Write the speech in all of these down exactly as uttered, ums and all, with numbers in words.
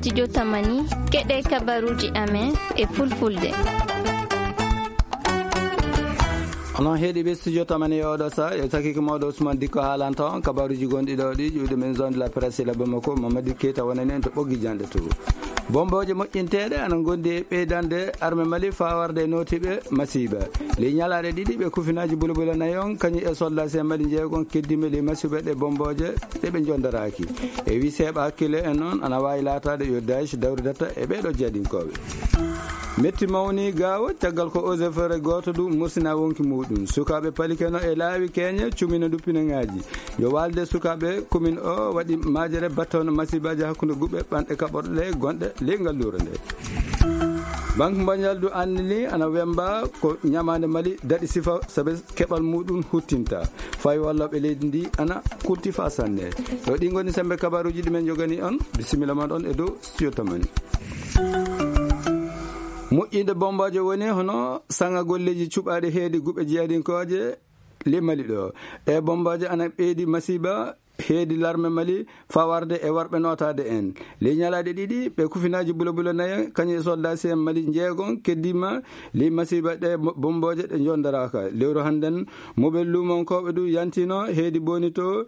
Studio Tamani, keɗe kabaruji amen e fulfulde. Onon heɗiɓe Studio Tamani e oɗo sa, e sakiki mawɗo Ousmane Dikko haalanta on kabaruji gonɗi ɗo ɗi, ƴuwde men zone de la presse la Bamako, Mamadou Keita wonani en to ɓoggi janɗe to. Bomboje moƴƴinteɗe ana gondi e ɓeydande arme Mali fawarde e notiɓe masiba. Ley ñalaɗe ɗiɗi ɓe kufinaji bulabula nayon, kañum e soldat sen Mali jeegon keddima ley masiba ɗe bomboje ɗe ɓe jondaraki. E wi seeɓa hakkille en noon ana wawi latade yo Daesh dawridata e ɓeɗo jeeɗinkoɓe. Metti mawni gawo caggal ko eaux et forêt goto du mursina wonki muɗum. Sukaɓe palikeno e laawi keñe cumina duppinagaji. Yo walde sukaɓe commune o waɗi majere battawno masibaji hakkude guɓe ɓanɗe kaɓorɗe ɗe gonɗe ley ngal luro nde. Banque mondiale du andini ana wemba ko ñamande Mali daɗi sifa sabe keɓal muɗum huttinta. Fawi walloɓe leydi ndi ana kulti fa sanne. Ɗo ɗi goni sembe kabaruji ɗi men jogani on. Bisimilla mon on e dow Studio Tamani. Moƴƴinde bombajo woni hono saŋa golleji cuɓaɗi heedi guɓe jeeɗinkoje le Mali ɗo. Ɗe bombajo ana ɓeydi masiba heedi larme Mali fawarde e warɓe notade en. Le ñalaɗe ɗiɗi ɓe kufinaji bulabula nayo kañum e soldat C M Mali jeegon keddima le masiba ɗe mo-, bomboje ɗe jondaraka. Lewru hannden mobel lumonkoɓe du yantino heedi boni to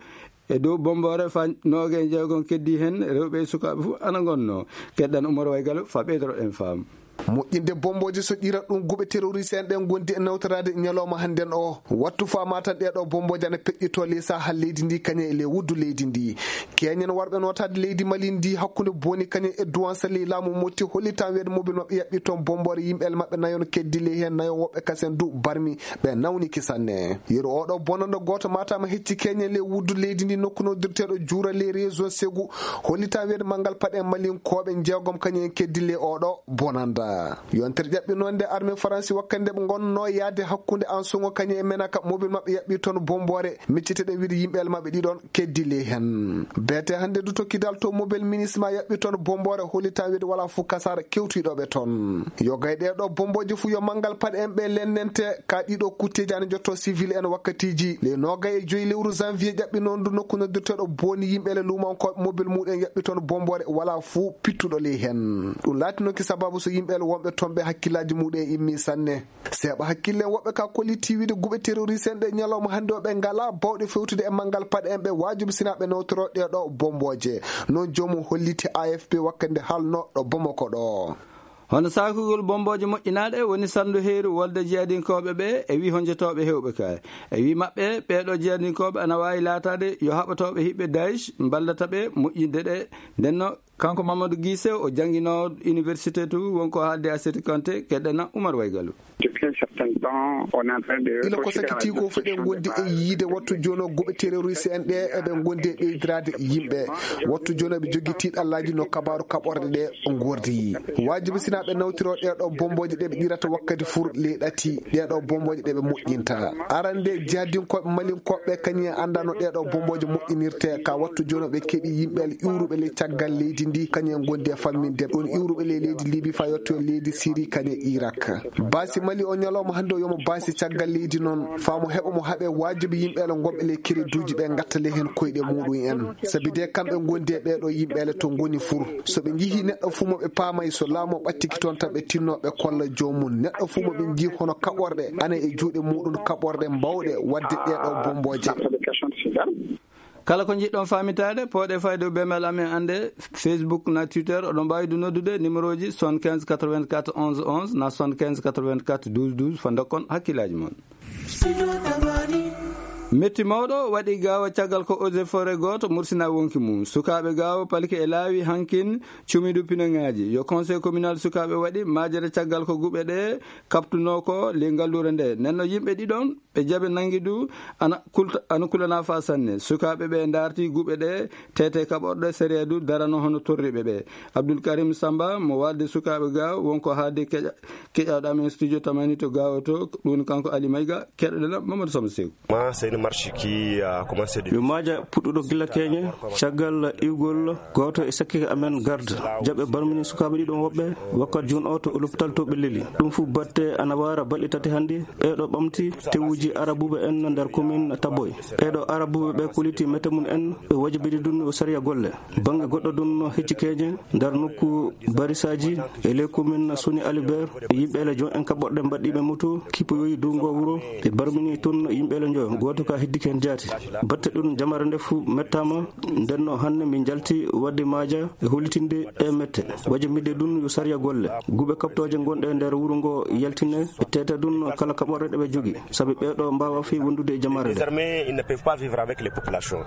e dow bombore fa nooge e jeegon keddi hen rewɓe e sukaɓe fu ana gonno. Keddan Umar Waygalo fa ɓeydoro en fam. Moƴƴinde bomboji so ƴira ɗum guɓe terroriste en ɗen gondi e nawtorade ñalawma hannden o. Wattu fama tan ɗeɗo bomboji ana peƴƴito ley saha leydi ndi kañum e ley wuddu leydi ndi. Keñen warɓe notade leydi Mali ndi hakkunde boni kañum e duwansa ley laamu motti hollitan weede mobil maɓɓe yaɓɓi toon bombore yimɓe el maɓɓe nayon keddi ley hen nayo woɓɓe kasen du barmi ɓe nawniki sanne. Yeru oɗo bonando goto matama hecci keñe ley wuddu leydi ndi nokku noddirteɗo juura ley région Ségou. Hollita weede manngal paɗe Malinkoɓe jeegom kañum en keddi ley oɗo bonanda. Yontere ƴaɓɓi noon nde armée Faransi wakkande ɓe gonno yaade hakkunde Ansogo kañum e Menaka mobil maɓɓe yaɓɓi toon bombore micciteɗen wiide yimɓe el maɓɓe ɗiɗon keddi ley hen. Beete hannde du tokkidal to mobil ministre ma yaɓɓi toon bombore hollita weede wala fuu kasara kewtiɗoɓe toon. Yo gay ɗeɗo bomboji fuu yo manngal paɗe en ɓe lennente ka ɗiɗo kutteji ana jotto civil en wakkatiji le nogay e joyi lewru janvier ƴaɓɓi noon du nokku noddirteɗo boni yimɓe le lumankoɓe mobil muɗen yaɓɓi toon bombore wala fuu pittuɗo ley hen. Ɗum laatinoki sababu so yimɓe le wonɓe toon ɓe hakkillaji muɗen immi sanne. Seeɓa hakkille woɓɓe ka kolliti wiide guɓe terroriste en ɗe ñalawma hannde o ɓe ngala bawɗe fewtude e manngal paɗe en ɓe wajibi sina ɓe nawtoro ɗeɗo bomboje. Noon joomum holliti A F P wakkande halno ɗo Bamako ɗo. Hono sakugol bomboje moƴƴinaɗe woni sandu heeru wolde jeeɗinkoɓe ɓe e wi honjotoɓe hewɓe ka. E wi maɓɓe ɓeɗo jeeɗinkoɓe ana wawi latade yo haɓatoɓe hiɓɓe Daesh mballata ɓe moƴƴinde ɗe. Ndenno kanko Mamadou Guissé o jangino université to wonko haalde a Séti Kanté keɗɗena Oumar Waygalu. Depuis un certain temps, on est en train de ila ko sakiti ko fof ɗen gondi e yiide wattu jono guɓe terroriste en ɗe eɓe gondi e ɓeydirade yimɓe. Wattu jono ɓe jogi tiɗallaji no kabaru kaɓorɗe ɗe gordi. Wajibi sina ɓe nawtiro ɗeɗo bomboje ɗe ɓe ɗirata wakkati fur ley ɗati. Ɗeɗo bomboje ɗe ɓe moƴƴinta. Arande jadinkoɓe malinkoɓe kañum en andano ɗeɗo bomboje moƴƴinirte ka wattu jono ɓe keɓi yimɓe iwruɓe le caggal leydi ndi kañum en gondi e famminde ɗon iwruɓe le leydi Libi fa yetto leydi Siri kañum e Irak. Baasi Mali o ñalawma hannde o yomo baasi caggal leydi noon, faa mo heɓa mo haɓe waajibi yimɓe le ngonɓe le kereduuji ɓe ngatta le heen koyɗe muɗum en. Sabi de kamɓe ngondi e ɓeeɗo yimɓe le to ngoni fur. So ɓe njihii neɗɗo fuu mo ɓe paamay so laamu o ɓattiki toon tan ɓe tinno ɓe kolla joomum. Neɗɗo fuu mo ɓe njii hono kaɓorɗe, ana e juuɗe muɗum kaɓorɗe bawɗe waɗde ɗeeɗo bombooje. Kala ko njiɗɗon faamitaade, pooɗe fayde e email amen annde, Facebook na Twitter, oɗon mbaawi du noddude numéro ji soixante-quinze quatre-vingt-quatre onze onze na soixante-quinze quatre-vingt-quatre douze douze, fa ndokkon hakkillaaji mon. Metti mawɗo waɗi Gaawo caggal ko eaux et forêt gooto mursina wonki mum. Sukaaɓe Gaawo palki e laawi hankin cumidu pinoŋaaji. Yo conseil communal sukaaɓe waɗi majere caggal ko guɓe ɗe kaptunoo ko ley ngalluure nde. Nenno yimɓe ɗiɗon ɓe jaɓe nangi du ana kulta-, ana kulana fa sanne. Sukaaɓe ɓe darti guɓe ɗe tete kaɓorɗe sariya du darano hono torriɓe ɓe. Abdoul Karim Samba mo walde sukaaɓe Gaawo wonko haalde keƴa-, keƴaɗo amen studio tamani to Gaawo to, ɗum kanko Ali Mayga, keɗoɗen Mamadou Samba Seku. Ma, c'est une marche qui a commencé de Yo maaja puɗɗuɗo gila keñe, caggal iwgol gooto e sakkike amen garde. Jaɓe barmini sukaaɓe ɗiɗon woɓɓe, wakkati jun o to l'hôpital to ɓe leli. Ɗum fu batte ana wara balɗe tati hannde, ɓeeɗo ɓamti tewuji Arabuɓe en nder commune Taboy. Ɓeeɗo Arabuɓe ɓe kulliti mette mum en, ɓe wajibini ɗum o sariya golle. Bannge goɗɗo ɗum no hecci keeñe nder nokku barisaaji e ley commune Soni Alibert, yimɓe le jon en kaɓɓorɗe mbaɗɗiiɓe moto, kippoyoyi dow ngo wuro, ɓe barmini toon yimɓe le njoyo, gooto ka heddike heen jaati. Batte ɗum jamare nde fuu mettaama, nden no hannde min njalti waɗde maaja e hollitinde ɗe mette. Wajibinde ɗum yo sariya golle. Guuɓe kaɓtooje gonɗe nder wuro ngo yaltine, ɓe teeta ɗum kala kaɓorɗe ɗe ɓe jogi. Sabi ɓeeɗo mbaawa fii wondude e jamare nde. Désormais, ils ne peuvent pas vivre avec les populations.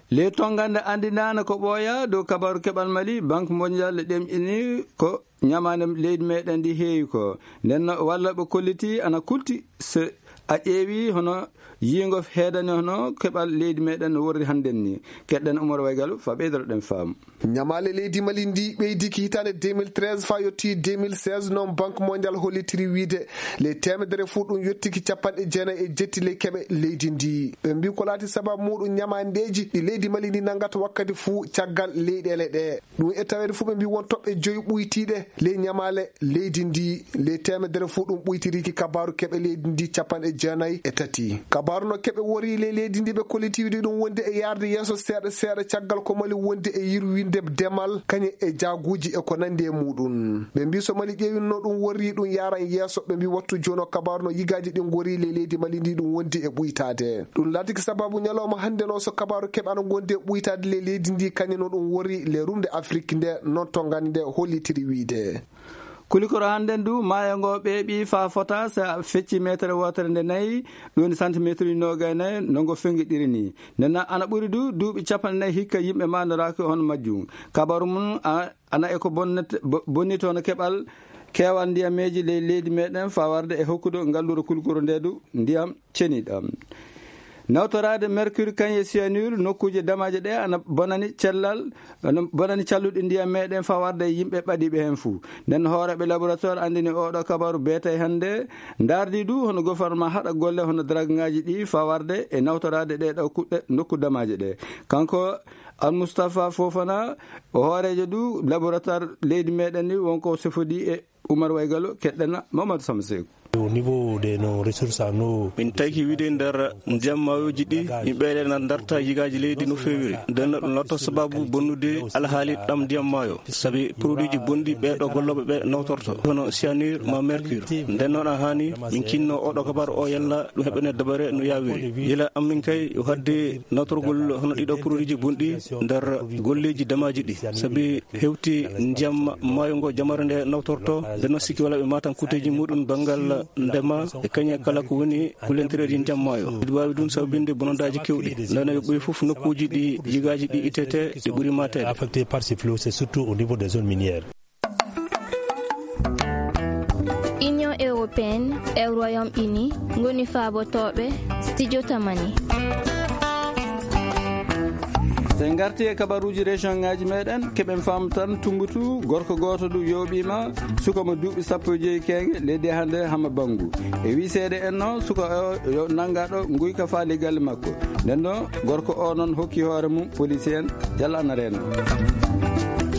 Ley tonngande anndinaano ko ɓooya dow kabaaru keɓal Mali, Banque Mondiale ɗemɗini ko ñamaande leydi meɗen ndi heewi ko. Nden no walla ɓe kolliti ana kulti so a ƴeewi hono yiingo heedani hono keɓal leydi meɗen no worri hannden ni. Keɗɗen Umar Waygalu fa ɓeydoro ɗen faamu. Ñamaale leydi Mali ndi ɓeydiki hitaande deux mille treize faa yotti deux mille seize, noon Banque Mondiale hollitiri wiide ley teemedere fuu ɗum yottiki capanɗe jeenayi e jetti ley keɓe leydi ndi. Ɓe mbii ko laati sababu muuɗum ñamaandeeji ɗi leydi Mali ndi nanngata wakkati fuu caggal leyɗeele ɗe. Ɗum e taweede fuu ɓe mbii won toɓɓe joyi ɓuytiiɗe ley ñamaale leydi ndi. Ley teemedere fuu ɗum ɓuytiriiki kabaaru keɓe leydi ndi capanɗe jeenayi e tati. Kabaaru no keɓe wori ley leydi ndi ɓe kolliti wiide ɗum wondi e yaarde yeeso seeɗa seeɗa caggal ko Mali wondi e yirwinde demal kañum e jaaguuji e ko nanndi e muuɗum. Ɓe mbii so Mali ƴeewino ɗum worri ɗum yaaran yeeso, ɓe mbii wattu jooni o kabaaru no yigaaji ɗin ngori ley leydi Mali ndi ɗum wondi e ɓuytaade. Ɗum laatiki sababu ñalawma hannde no so kabaaru keɓe ana ngondi e ɓuytaade ley leydi ndi kañum no ɗum worri ley rumde Afrik nde noon to ngannde hollitiri wiide. Kulikoro hannden du, maayo ngo ɓeeɓi faa fota, so a fecci meetere wootere nde nayi, ɗum woni santimeeteruuji noogay nayi, no ngo fengiɗiri ni. Nden na ana ɓuri du, duuɓi capanɗe nayi hikka yimɓe maandoraaki hono majjum. Kabaru mum a-, ana e ko bonnet-, bo-, bonnitoo no keɓal keewal ndiyameeji ley leydi meɗen faa warde e hokkude ngalluure kulikoro nde du ndiyam ceniɗam. Nawtoraade mercure kañum e cyanure nokkuuje damaaje ɗe ana bonani cellal, ana bonani calluɗi ndiyam meɗen faa warde e yimɓe ɓadiiɓe heen fuu. Nden hooreeɓe laboratoire anndini oɗo kabaru beetay hannde, ndaardi du hono gouvernement haɗa golle hono dragŋaaji ɗi faa warde e nawtoraade ɗe ɗo kuɗɗe nokku damaaje ɗe. Kanko Al Mustafa Fofana, o hooreejo du laboratoire leydi meɗen ni wonko sefodi e Umar Waygalo, keɗɗena Mamadou Samba Seeku. Au niveau de nos ressources en eau, min tawki wiide nder ndiyam maayoji ɗi, yimɓe ɗe na darta yigaaji leydi no feewiri. Nden no ɗum lotto sababu bonnude alhaali ɗam ndiyam maayo. Sabi produitji bonɗi ɓe ɗo gollooɓe ɓe nawtorto, hono cyanure ma mercure. Nden noon a haani min kinno oɗo kabar o yalla ɗum heɓene dabare no yaawiri. Yila amin kay o hadde nawtorgol hono ɗiɗo produitji bonɗi nder golleeji damaaji ɗi. Sabi hewti ndiyam maayo ngo jamare nde nawtorto, nden no sikki wala ɓe matan kuuteeji muɗum banngal ndema e kañe kala ko woni kulentereeji ndiyam maayo. Ɗi waawi ɗum sababinde bonondaaji kewɗi. Ndeno yo ɓoy fof nokkuuji ɗi yigaaji ɗi itete, ɗi ɓuri mateede. Affecté par ce flot, c'est surtout au niveau des zones minières. Union européenne e Royaume-Uni ngoni faabotooɓe studio Tamani. So en ngarti e kabaruuji région ŋaaji meɗen, keɓen faamu tan Tumbatu, gorko gooto du yooɓiima, suka mo duuɓi sappo e joyi keenge, leydi hannde Hama Banngu. E wiseede en no, suka o yo nanngaɗo nguyka faali galle makko. Nden no, gorko o noon hokki hoore mum police en, yalla ana reena.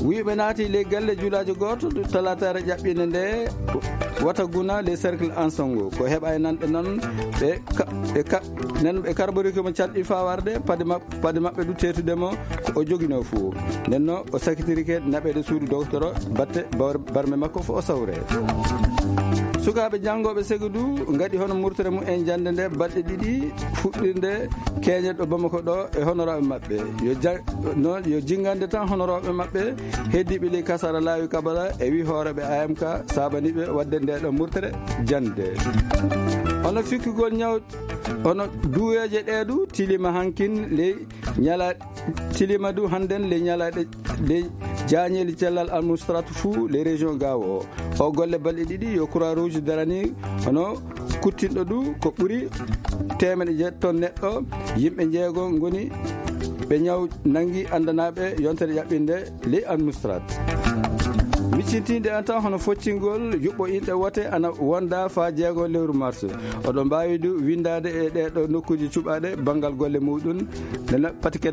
Wuyɓe naati ley galle juulaajo gooto, talaataare ƴaɓɓinde nde, wata guna ley cercle Ansongo. Ko heɓa e nanɗe noon, ɓe ka-, ɓe ka-, nen ɓe karborike mo calɗi faa warde, pade ma-, pade maɓɓe du teetude mo, ko o joginoo fuu. Nden no, o sakitirike naɓeede suudu dogtoro, batte bawr-, barme makko fof o sawre. Sukaaɓe janngooɓe segu du, ngaɗi hono murtere mum en jannde nde balɗe ɗiɗi, fuɗɗirde keeñe ɗo Bamako ɗo e honoraaɓe maɓɓe. Yo ja-, noon yo jinngande tan honoraaɓe maɓɓe heddiiɓe ley kasara laawi kabala e wi hooreeɓe A M K saabaniiɓe waɗde nde ɗo murtere jannde. Hono fikkugol ñaw-, hono duweeje ɗe du tilima hankin ley ñala-, tilima du hannden ley ñalaaɗe ley jaañeeli cellal administratu fuu ley région Gaawo o. O golle balɗe ɗiɗi yo Croix Rouge darani hono kuttinɗo du ko ɓuri teemeɗe jeetati ton neɗɗo, yimɓe njeego ngoni ɓe ñaw nanngi anndanaaɓe yontere ƴaɓɓinde ley administrat. Miccintinde en tan hono foccingol yuɓɓo inɗe wote ana wonda faa jeego lewru mars. Oɗon mbaawi du winndaade e ɗee ɗo nokkuuji cuɓaaɗe banngal golle muɗum. Nana pati keddo